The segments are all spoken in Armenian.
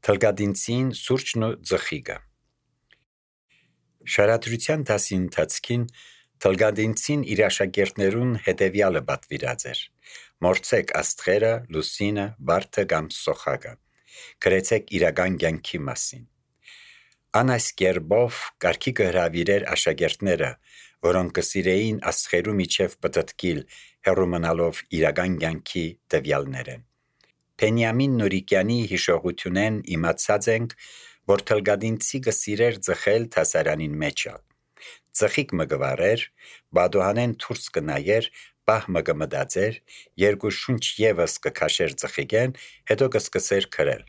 Թլգադինցին սուրճն ու ձխիգը։ Շարադրության դասի ընթացքին Թլգադինցին իր աշակերտներուն հետևյալը պատվիրած էր. մորցեք աստղերը, լուսինը, վարդը կամ սոխակը, գրեցեք իրական կյանքի մասին։ Ան այս կերպով կարգի կհրավիրեր աշակերտները, որոնք կսիրեին աստղերու միջև պտտկիլ, հեռու մնալով իրական կյանքի տվյալներեն։ Բենյամին Նուրիկյանի հիշողությունեն իմացած ենք, որ Թլգադինցի կսիրեր ձխել դասարանին մեջը։ Ձխիկ մը կվարեր, բադոհանեն դուրս կնայեր, պահ մը կմտածեր, երկու շունչ ևս կքաշեր ձխիկեն, հետո կսկսեր քրել։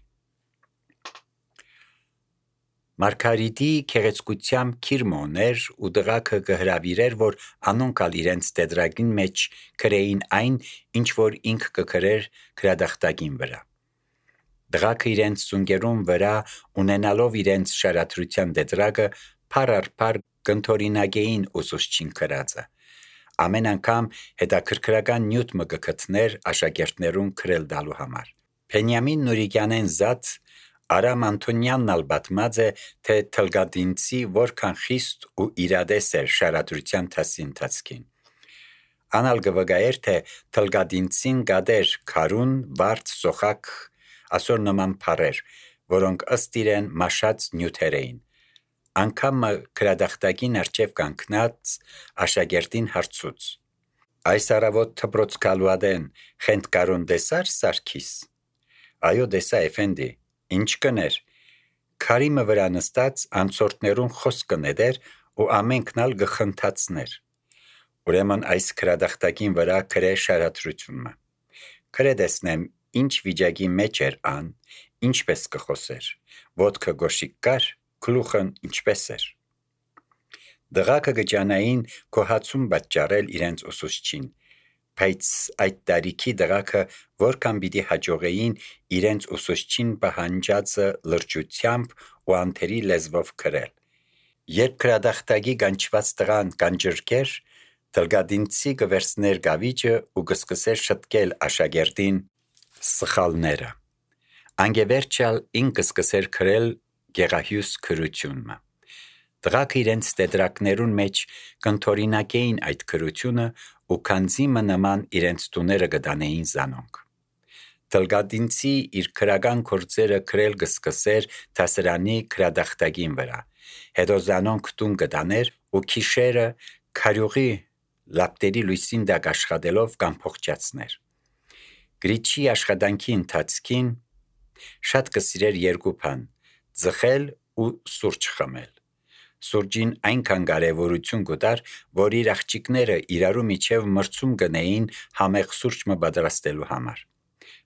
Մարգարիտի քեղեցկությամբ քիրմոներ ու դղակը կհրավիրեր, որ անոնքալ իրենց տետրակին մեջ քրեին այն, ինչ որ ինք կքրեր գրադախտակին վրա։ Դղակը իրենց ծունկերուն վրա ունենալով իրենց շարադրության տետրակը փար առ փար կընթորինակեին ուսուցչին քրածը։ Ամեն անգամ հետաքրքրական նյութ մը կգտներ աշակերտներուն քրել դալու համար։ Բենյամին Նուրիկյանեն զատ Արամ Անտոնյանն ալ պատմած է, թե Թլգադինցի որքան խիստ ու իրադես էր շարադրության դասի ընթացքին։ Անալ կվգայեր, թե Թլգադինցին գադեր քարուն, վարդ, սոխակ, ասոր նման փարեր, որոնք ըստ իրեն մաշած նյութեր էին։ Անգամ գրադախտակին արջև կանգնած աշակերտին հարցուց. այս առավոտ թպրոց կալուադեն խենթ կարուն դեսար Սարգիս։ Այո դեսա էֆենդի, ինչ կներ։ Քարի մը վրա նստած անցորդներուն խոսք կնեդեր ու ամենքնալ գխնդացներ։ Ուրեմն այս գրադախտակին վրա քրե շարադրությունը։ Քրե դեսնեմ ինչ վիճակի մեջ էր ան, ինչպես կխոսեր, ոտքը գոշիկ կար, գլուխն ինչպես էր։ Դղակը գճանային կոհացում պատճառել իրենց ուսուցչին, բայց այդ տարիքի դղակը որքան պիտի հաջողեին իրենց ուսուցչին պահանջածը լրջությամբ ու անթերի լեզվով քրել։ Երբ գրադախտակի կանչված տղան կանջրկեր, Թլգադինցի կվերցներ գավիճը ու կսկսեր շտկել աշակերտին սխալները։ Անգևերջալ ինք կսկսեր քրել գեղահյուս քրությունը։ Դղակը իրենց տետրակներուն մեջ կընթորինակեին այդ քրությունը ու քանզի մը նման իրենց տուները կդանեին զանոնք։ Թլգադինցի իր քրական գործերը քրել կսկսեր դասարանի գրադախտակին վրա, հետո զանոնք տուն կդաներ ու քիշերը քարյուղի լապտերի լույսին տակ աշխատելով կանփոխջացներ։ Գրիչի աշխատանքի ընթացքին շատ կսիրեր երկու բան՝ ձխել ու սուրճ խմել։ Սուրճին այնքան կարևորություն կտար, որ իր աղջիկները իրարու միջև մրցում գնեին համեղ սուրճ մը պատրաստելու համար։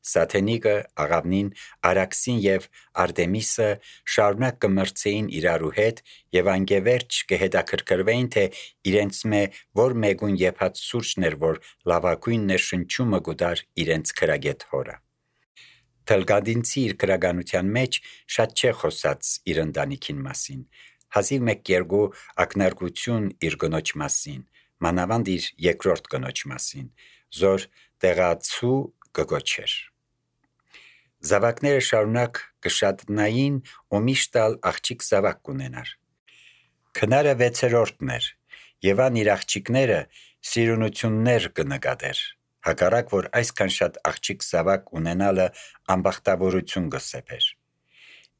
Սաթենիկը, Աղավնին, Արաքսին եւ Արտեմիսը շարունակ կմրցեին իրարու հետ եւ անգևերջ կհետաքրքրվեին, թե իրենց որ մեկուն եփած սուրճն էր, որ լավագույն ներշնչումը կտար իրենց քրագետ հորը։ Թլգադինցի իր քրագանության մեջ շատ չէ խոսած իր ընտանիքին մասին, հազիվ մեկ երկու ակնարկություն իր կնոջ մասին, մանավանդ իր երկրորդ կնոջ մասին, զոր տեղացու կգոչեր։ Զավակները շարունակ կշատնային ու միշտ աղջիկ զավակ կունենար։ Քնարը 6-րդն էր եւ ան իր աղջիկները սիրունություններ կնկատեր, հակառակ որ այսքան շատ աղջիկ զավակ ունենալը անբախտավորություն կսեփեր։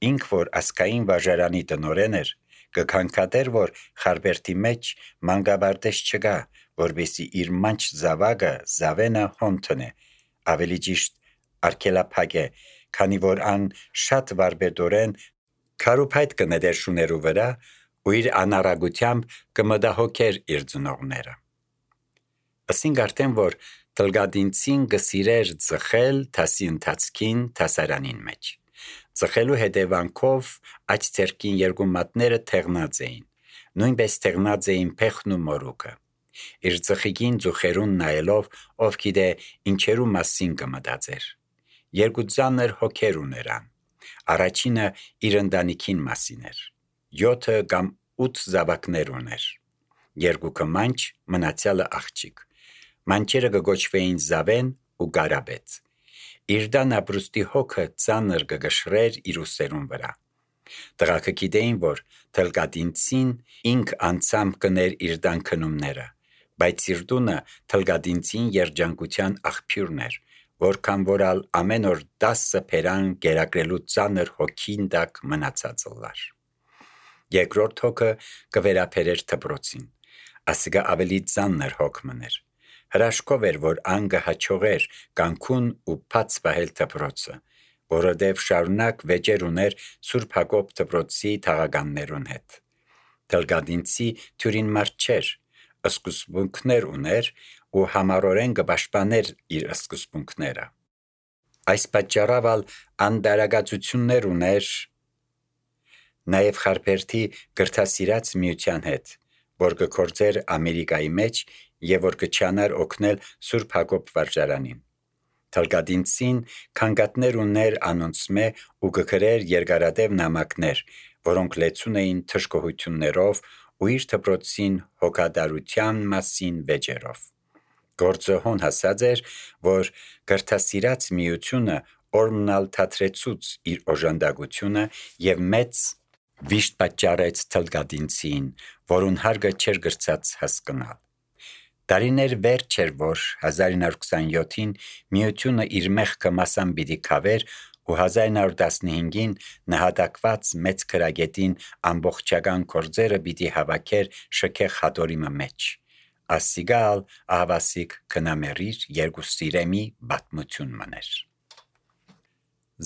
Ինք որ ասկային վարժարանի տնորեն էր, կքանքատեր, որ խարբերտի մեջ մանկաբարձ չկա, որբեսի իր մանչ զավակը զավենը հոնտնե, ավելի ճիշտ արգելափակ է, քանի որ ան շատ վարբերդորեն քարուփայտ կնեդեր շուներու վրա ու իր անառագությամբ կմտահոգեր իր ծնողները։ Ասինք արդեն, որ Թլգադինցին կսիրեր ձխել դասի ընթացքին դասարանին մեջ։ Ձխելու հետևանքով աջ ձեռքին երկու մատները թեղնած էին, նույնպես թեղնած էին փեխն ու մորուքը։ Իր ձխիկին ձուխերուն նայելով, ով գիտե ինչերու մասին կմտածեր։ Երկու ծանր հոգեր ուներան։ Առաջինը իր ընտանիքին մասին էր։ 7 կամ 8 զավակներ ուներ։ Երկուքը մանչ, մնացյալը աղջիկ։ Մանչերը կգոչվեին Զավեն ու Գարաբետ։ իր դան ապրուստի հոգը ծանր կգշրեր իր ուսերուն վրա։ Տղաքը գիտեին, որ թլկադինցին ինք անցամբ կներ իր դան քնումները, բայց իր տունը թլկադինցին երջանկության աղբյուրն էր, որքան որալ ամեն օր 10 փերան գերակրելու ծանր հոգին տակ մնացած լար։ Երկրորդ հոգը կվերապերեր դպրոցին, ասիկա ավելի ծանր հոգ մներ։ Հրաշքով էր, որ անգը հաչողեր կանքուն ու բաց պահել դպրոցը, որովհետև շարունակ վեճեր ուներ Սուրբ Հակոբ դպրոցի թաղականներուն հետ։ Թլկադինցի թյուրին մարդ չէր, սկզբունքներ ուներ ու համառորեն կպաշտպաներ իր սկզբունքները։ Այս պատճառով անբարակացություններ ուներ նաև Խարբերդի գրթասիրած միության հետ, որ կգործեր Ամերիկայի մեջ եւ որ կչանար օգնել Սուրբ Հակոբ վարժարանին։ Թլկադինցին քանգատներ ուներ անոնցմե ու կգրեր երկարատև նամակներ, որոնք լեցուն էին թշկողություններով ու իր դպրոցին հոգատարության մասին վեճերով։ Գործը հոն հասած էր, որ գրթասիրած միությունը օրմնալ թատրեցուց իր օժանդակությունը եւ մեծ վիշտ պատճառեց թլկադինցին, որուն հարգը չէր գրծած հասկնալ։ Տարիներ վերջ էր, որ 1927-ին միությունը իր մեղքը մասամբ պիտի քավեր ու 1915-ին նահատակված մեծ քրագետին ամբողջական գործերը պիտի հավաքեր շքեղ հատորիմը մեջ։ Ասիգալ ահավասիկ կնամերիր երկու սիրեմի բատմություն մներ։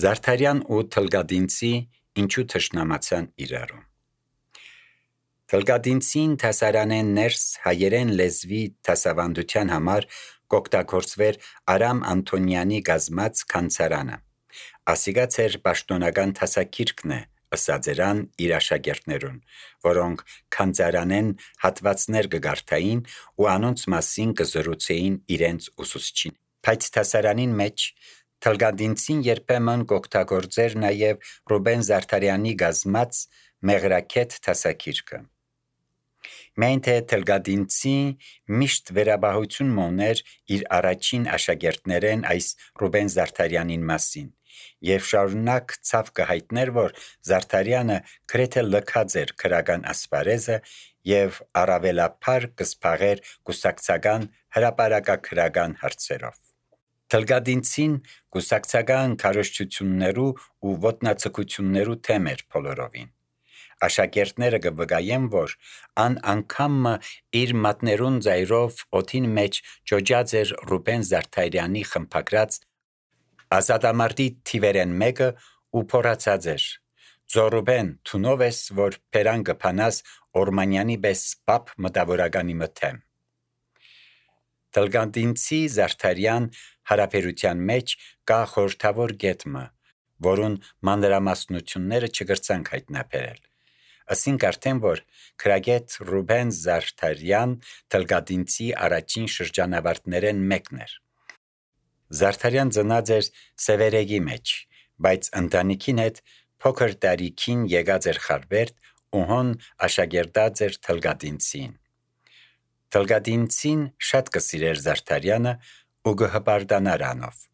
Զարդարյան ու թլկադինցի ինչու թշնամացան իրարու։ Թլկադինցին դասարանեն ներս հայերեն լեզվի դասավանդության համար կօգտագործվեր Արամ Անտոնյանի գազմած քանցարանը։ Ասիգաց էր պաշտոնական դասագիրքն է, ըսած երան իր աշակերտներուն, որոնք քանցարանեն հատվածներ կգարթային ու անոնց մասին կզրուցեին իրենց ուսուցչին։ Բայց դասարանին մեջ թլկադինցին երբեմն կօգտագործեր նաև Ռուբեն Զարդարյանի գազմած մեղրաքեթ դասագիրքը։ Միայն թե թլկադինցի միշտ վերաբահություն մոներ իր առաջին աշակերտներեն այս Ռուբեն Զարդարյանին մասին եւ շարունակ ցավ կհայտներ, որ Զարդարյանը գրեթե լքած էր քրական ասպարեզը եւ առավելապար կսփաղեր կուսակցական հրապարակագրական հարցերով։ Թլկադինցին կուսակցական քարոզչություններու ու ոտնացկություններու թեմ էր բոլորովին։ Աշակերտները կվկայեն, որ անգամ իր մատներուն ձայրով օդին մեջ ջոջած էր Ռուբեն Զարդարյանի խմբագրած ազատամարտի թիվերեն մեկը ու փորացած էր. «Ձորուբեն, թունով ես, որ փերան կփանաս Օրմանյանի պես պապ մտավորականի մթեմ»։ Թլկադինցի Զարդարյան հարաբերության մեջ կա խորհրդավոր գետմը, որուն մանրամասնությունները չգրցանք հայտնաբերել։ Ասինք արդեն, որ քրագետ Ռուբեն Զարդարյան թլկադինցի առաջին շրջանավարտներեն մեկն էր։ Զարդարյան ծնած էր Սևերեգի մեջ, բայց ընտանիքին հետ փոքր տարիքին եկած էր Խարբերդ ու հոն աշակերտած էր թլկադինցին։ Թլկադինցին շատ կսիրեր Զարդարյանը ու կհպարտանար անով։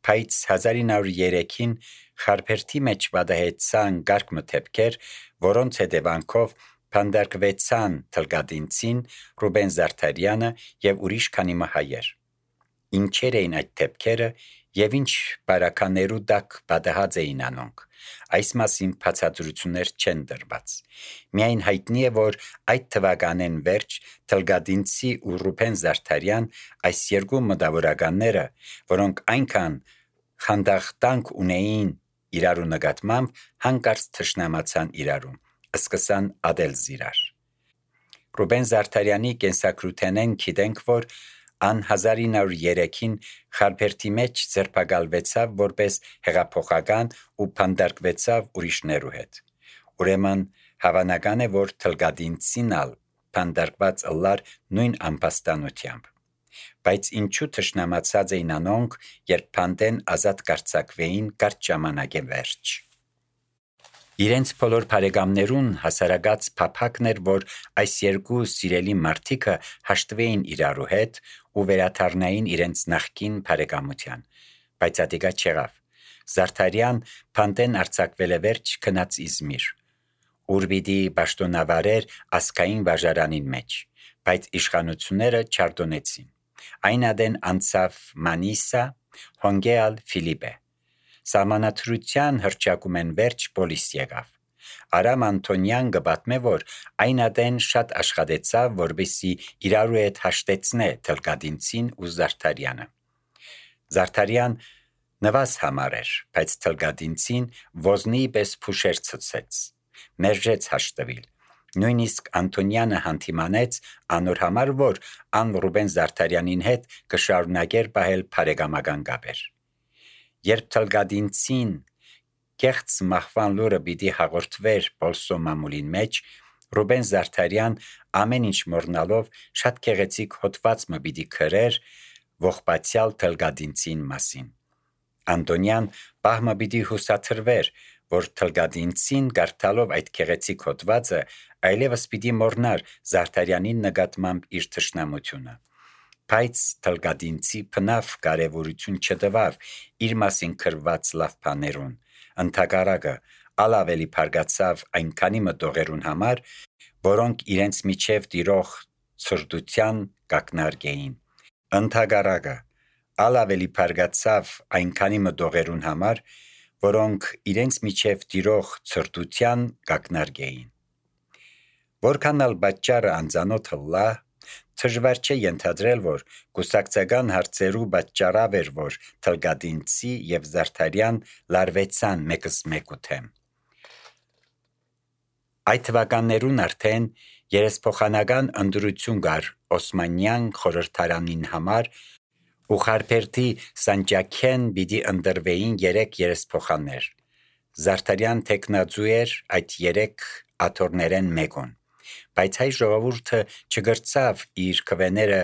Բայց 1903-ին Խարբերդի մեջ պատահեցան կարգ մթեփքեր, որոնց հետևանքով փանդարկվեցան թլկադինցին, Ռուբեն Զարդարյանը եւ ուրիշ քանի հայեր։ Ինչեր էին այդ թեփքերը եւ ինչ բարականերու տակ պատահած էին անոնք։ Այս մասին բացատրություններ չեն տրված։ Միայն հայտնի է, որ այդ թվականեն վերջ թլկադինցի ու Ռուբեն Զարդարյան այս երկու մտավորականները, որոնք այնքան խանդախտանք ունեին իրարու նկատմամբ, հանկարծ թշնամացան իրարու, սկսան ադել զիրար։ Ռուբեն Զարդարյանի կենսագրութենեն գիտենք, որ ան 1903-ին Խարբերդի մեջ ձերբակալվեցավ որպես հեղափոխական ու փանդարկվեցավ ուրիշներու հետ։ Ուրեմն հավանական է, որ թլկադինցին ալ փանդարկված ըլլար նույն ամբաստանությամբ։ Բայց ինչու թշնամացած էին անոնք, երբ փանդեն ազատ կարծակվեին կարճ ժամանակե վերջ։ Իրենց բոլոր բարեկամներուն հասարակած փափակն էր, որ այս երկու սիրելի մարդիկը հաշտվեին իրարու հետ ու վերադառնային իրենց նախկին բարեկամության, բայց ադիգա չեղավ։ Զարդարյան Փանտեն արձակվել է վերջ քնած Իզմիր, ուր պիտի պաշտոնավարեր ասկային վարժարանին մեջ, բայց իշխանությունները չարդոնեցին։ Այն ադեն անցավ Մանիսա, հոնգեալ Ֆիլիպե։ Սահմանադրության հռչակում են վերջ պոլիս եղավ։ Արամ Անտոնյան գբատմե, որ այն ադեն շատ աշխատեցավ, որպեսզի իրարու հետ հաշտեցնե Թլկադինցին ու Զարդարյանը։ Զարդարյան նվազ համար էր, բայց Թլկադինցին ոզնի պես փուշեր ցցեց, մերժեց հաշտվել։ Նույնիսկ Անտոնյանը հանդիմանեց անոր համար, որ ան Ռուբեն Զարդարյանին հետ կշարունակեր պահել բարեկամական կապեր։ Երբ Թլկադինցին կեղծ մահվան լուրը պիտի հաղորդվեր Պոլսո մամուլին մեջ, Ռուբեն Զարդարյան ամեն ինչ մոռնալով շատ գեղեցիկ հոդված մը պիտի գրեր ողբացյալ Թլկադինցին մասին։ Անտոնյան պահմը պիտի հուսաթրվեր, որ Թլկադինցին կարդալով այդ գեղեցիկ հոդվածը այլևս պիտի մոռնար Զարդարյանին նկատմամբ իր թշնամությունը։ Բայց Թլկադինցի բնավ կարևորություն չտվավ իր մասին գրված լավ բաներուն, ընդհակառակը ավելի փարգացավ այնքանի մտողերուն համար, որոնք իրենց միջև տիրող ցրտության կակնարկեին։ Ընդհակառակը ավելի փարգացավ այնքանի մտողերուն համար, որոնք իրենց միջև տիրող ցրտության կակնարկեին։ Որքան ալ պատճառը անծանոթ լա, դժվար չէ ենթադրել, որ կուսակցական հարցերու պատճառավ էր, որ Թլկադինցի եւ Զարդարյան լարվեցան մեկս մեկու թեմ։ Այդ թվականներուն արդեն երեսփոխանական ընդրություն կար Օսմանյան խորհրդարանին համար, ու Խարփերդի Սանջակեն պիտի ընտրվեին 3 երեսփոխաններ։ Զարդարյան տեխնաձու էր այդ 3 աթոռներեն մեկուն, բայց հայ ժողովուրդը չգրծավ իր քվեները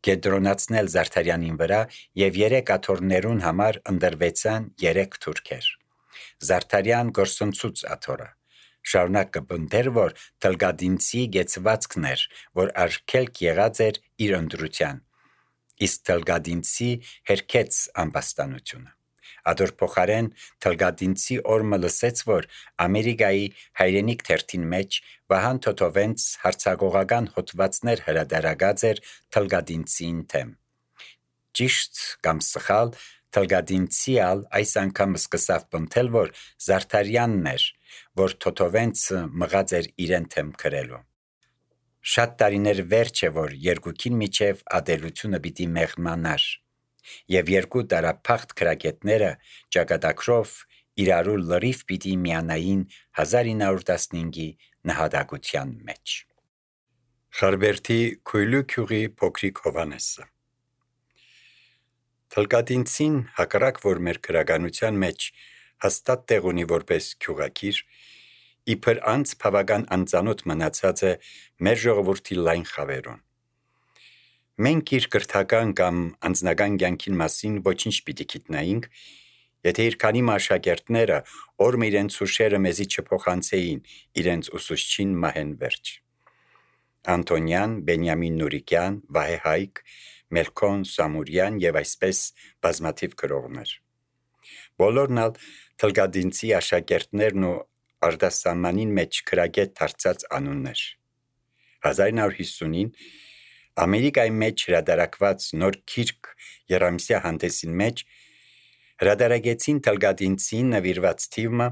կեդրոնացնել Զարդարյանին վրա եւ 3 աթոռներուն համար ընտրվեցան 3 թուրքեր։ Զարդարյան գործընծուց աթոռը շարունակ կպնդեր, որ Թլկադինցի գեցվածքն էր, որ արգելք եղած էր իր ընտրության, իսկ Թլկադինցի հերքեց ամբաստանությունը։ Ադոր փոխարեն Թլկադինցի օրմը լսեց, որ Ամերիկայի հայրենիք թերթին մեջ Վահան Թոթովենց հարցագողական հոդվածներ հրադարագած էր Թլկադինցին թեմ։ Ճիշտ կամ սխալ, Թլկադինցի ալ այս անգամ սկսավ պնդել, որ Զարդարյանն էր, որ Թոթովենցը մղած էր իրեն թեմ գրելու։ Շատ տարիներ վերջ է, որ երկուքին միջև ադելությունը պիտի մեղմանար, եւ 2 տարափախտ քրագետները ճակատագրով իրարու լրիվ պիտի միանային 1915-ի նահատակության մեջ։ Խարբերդի Քույլու քյուղի փոքրիկ Հովանեսը Թլկադինցին հակառակ որ մեր քրագանության մեջ հաստատ տեղ ունի որպես քյուղակիր, իբր անց բավական անծանոթ մնացած է մեր ժողովրդի լայն խավերուն։ Մենք իր կրթական կամ անձնական կյանքին մասին ոչինչ պիտի գիտնայինք, եթե իր քանի աշակերտները օրմ իրենց հուշերը մեզի չփոխանցեին իրենց ուսուցչին մահեն վերջ։ Անտոնյան, Բենյամին Նուրիկյան, Վահե Հայկ, Մելքոն Սամուրյան եւ այսպես բազմաթիվ գրողներ։ Բոլորն ալ Թլկադինցի աշակերտներն ու արտասահմանին մեջ քրագետ դարձած անուններ։ 1950-ին Ամերիկայի մեջ հրադարակված նոր գիրք Երամսյա հանդեսին մեջ հրադարագեցին Թլկադինցին նվիրված թիվը,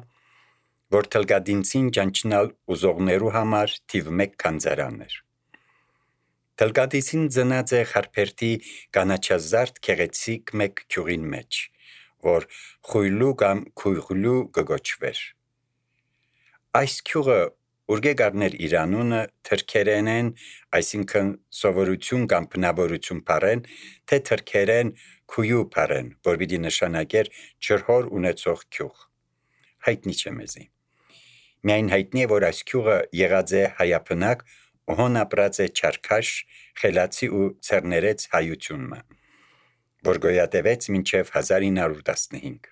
որ Թլկադինցին ճանչնալ ուզողներու համար թիվ 1 քանձարան էր։ Թլկադինցին ծնած է Խարփերդի կանաչազարդ քեղեցիկ մեկ քյուղին մեջ, որ Խույլու կամ Քույղլու կգոչվեր։ Այս քյուղը ուրգե գարներ իր անունը թրքերենեն, այսինքն սովորություն կամ բնավորություն բառեն, թե թրքերեն քույու բառեն, որ պիտի նշանակեր ջրհոր ունեցող քյուղ։ Հայտնի չէ մեզի։ Միայն հայտնի է, որ այս քյուղը եղած է հայաբնակ ու հոն ապրած է Չարքաշ, Խելացի ու Ցերներեց հայությունը, որ գոյատևեց մինչև 1915։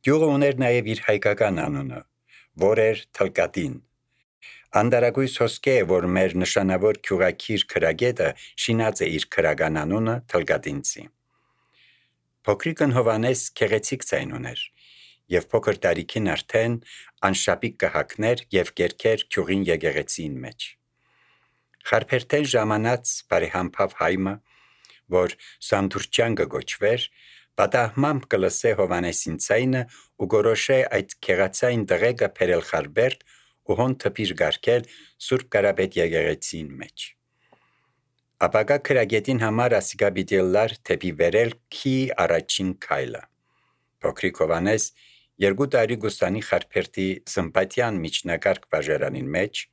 Գյուղը ուներ նաև իր հայկական անունը, որ էր Թլկադին։ Անդարագույս հոսք է, որ մեր նշանավոր քյուղակիր քրագետը շինած է իր քրական անունը Թլկադինցի։ Փոքրիկն Հովանես քեղեցիկ ձայն ուներ, եւ փոքր տարիքին արդեն անշապիկ կհակներ եւ կերքեր քյուղին եկեղեցին մեջ։ Խարփերթեն ժամանած բարեհամբավ հայմը, որ Սանդուրճան կգոչվեր, պատահմամբ կլսե Հովանեսին ցայնը ու գորոշե այդ քեղացային դղեկը փերել Խարբերտ ու հոն թփիր գարկել Սուրբ Կարապետ եկեղեցին մեջ։ Ապագա քրագետին համար ասիկա բիդելլար թեպի վերել քի առաջին քայլը։ Փոքրիկ Հովանես 2 տարի գուստանի Խարփերտի սմպատիան միջնակարգ բաժարանին մեջ,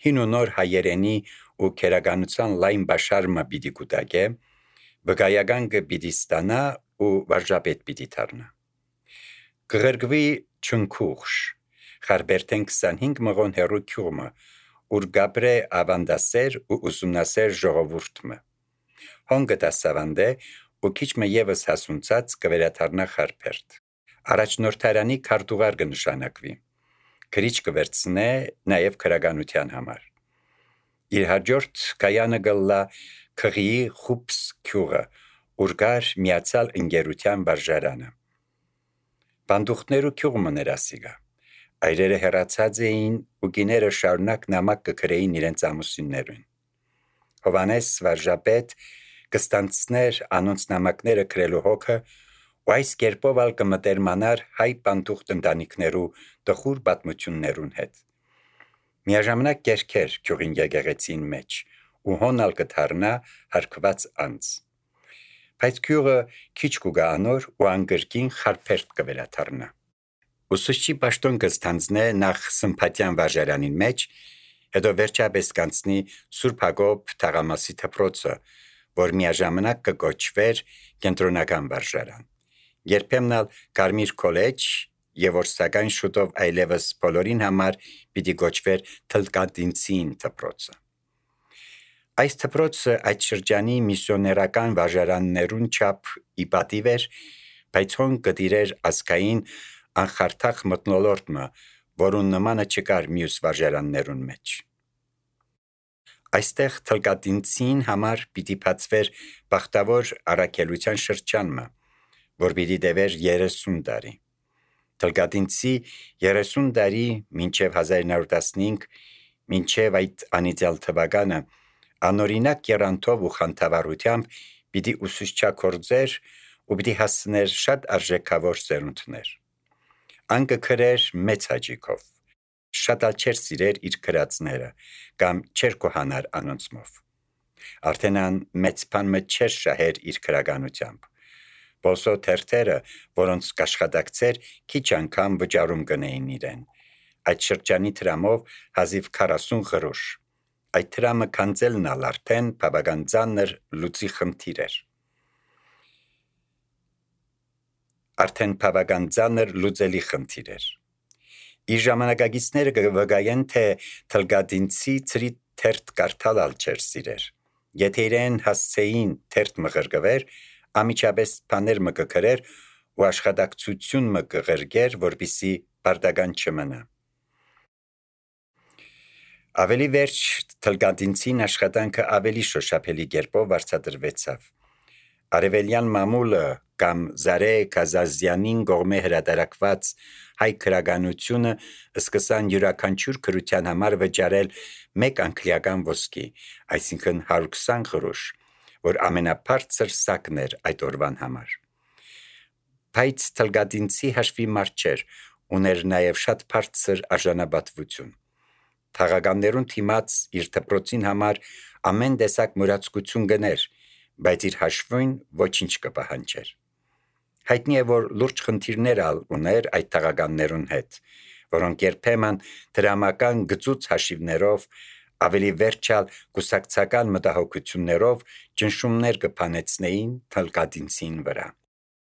հին ու նոր հայերենի ու քերականության լայն բաշարմը պիտի կուտակե, վգայական պիտի ստանա ու վարժապետ պիտի դառնա։ Կղրգվի չնքուղշ, Խարբերտեն 25 մղոն հեռու քյուղմը, ուր գաբրե ավանդասեր ու ուսումնասեր ժողովուրդմը։ Հոնգը դասավանդե ու քիչմը եւս հասունցած կվերաթարնա Խարբերտ։ Առաջնորդարանի քարտուղար կնշանակվի։ Քրիչ կվերցնե նաեւ քրագանության համար։ Իր հաջորդ կայանը գլլա քղիի խուպս քյուղը, ուր գար միացալ ընկերության վարժարանը։ Բանդուխներու քյուղը ներասիգա։ Այրերը հեռացած էին ու գիները շարունակ նամակ կգրեին իրենց ամուսիններուն։ Հովանես վարժապետ կստանցներ անոնց նամակները գրելու հոգը ու այս կերպով ալ կմտերմանար հայ բանդուխտ ընտանիքներու տխուր պատմություններուն հետ։ Միաժամանակ կերքեր քյուղին եկեղեցին մեջ ու հոնալ կդառնա հարկված անձ։ Բայց քյուղը քիչ կուգա անոր ու անգրկին Խարբերտ կվերաթարնա։ Ուսուցչի պաշտոն կստանձնե նախ Սմփատյան վարժարանին մեջ, հետո վերջապես կանցնի Սուրբ Հակոբ թաղամասի դպրոցը, որ միաժամանակ կգոչվեր կենտրոնական վարժարան։ Երբեմն ալ Կարմիր քոլեջ եւ որ սակայն շուտով այլևս բոլորին համար պիտի գոչվեր Թլկատինցին դպրոցը։ Այս դպրոցը այդ շրջանի միսիոներական վարժարաններուն չափ իպատիվ էր, բայց հոն կդիրեր ազգային անխարթախ մտնոլորտը, որուն նմանը չկար մյուս վարժարաններուն մեջ։ Այստեղ Թլկատինցին համար պիտի բացվեր բախտավոր առաքելության շրջանը, որ պիտի տևեր 30 տարի։ Թլկատինցի 30 տարի մինչև 1915, մինչև այդ անիծյալ թվականը, անօրինակ եռանթով ու խանդավառությամբ պիտի ուսուցչակորձեր ու պիտի հասցներ շատ արժեքավոր սերունդներ։ Անկը քրեր մեծ հաճիկով, շատ ալ չեր սիրեր իր քրածները կամ չեր կոհանար անոնցմով։ Արդեն ան մեծ բանը չեր շահեր իր քրականությամբ։ Բոսո թերթերը, որոնց կաշխատակցեր, քիչ անգամ վճարում կնեին իրեն։ Այդ շրջանի տրամով հազիվ 40 գրուշ։ Այդ տրամը քանձելն ալ արդեն բավական ծանր լուծի խնդիր էր։ լուծելի խնդիր էր։ Իր ժամանակագիցները կվգայեն, թե Թլկատինցի ծրի թերթ կարդալալ չեր սիրեր։ Եթե իրեն հասցեին թերթ մղրգվեր, ամիջապես բաներ մը կգրեր ու աշխատակցություն մը կղրգեր, որպիսի բարդական չմնա։ Ավելի վերջ Թլկատինցին աշխատանքը ավելի շոշափելի կերպով վարձատրվեցավ։ Արևելյան մամուլը կամ Զարե Կազազյանին կողմէ հրատարակված հայ քրագանությունը սկսան յուրաքանչյուր քրության համար վճարել 1 անգլիական ոսկի, այսինքն 120 գրուշ, որ ամենաբարձր սակն էր այդ օրվան համար։ Բայց Թլկատինցի հաշվի մարդ չէր, ուներ նաև շատ բարձր արժանապատվություն։ Թաղականներուն թիմած իր դպրոցին համար ամեն տեսակ մուրացկություն գներ, բայց իր հաշվին ոչինչ կպահանջեր։ Հայտնի է, որ լուրջ խնդիրներ ալ ուներ այդ թաղականներուն հետ, որոնք երբեմն դրամական գծուց հաշիվներով, ավելի վերջալ կուսակցական մտահոգություններով ճնշումներ կփանեցնեին Թլկատինցին վրա։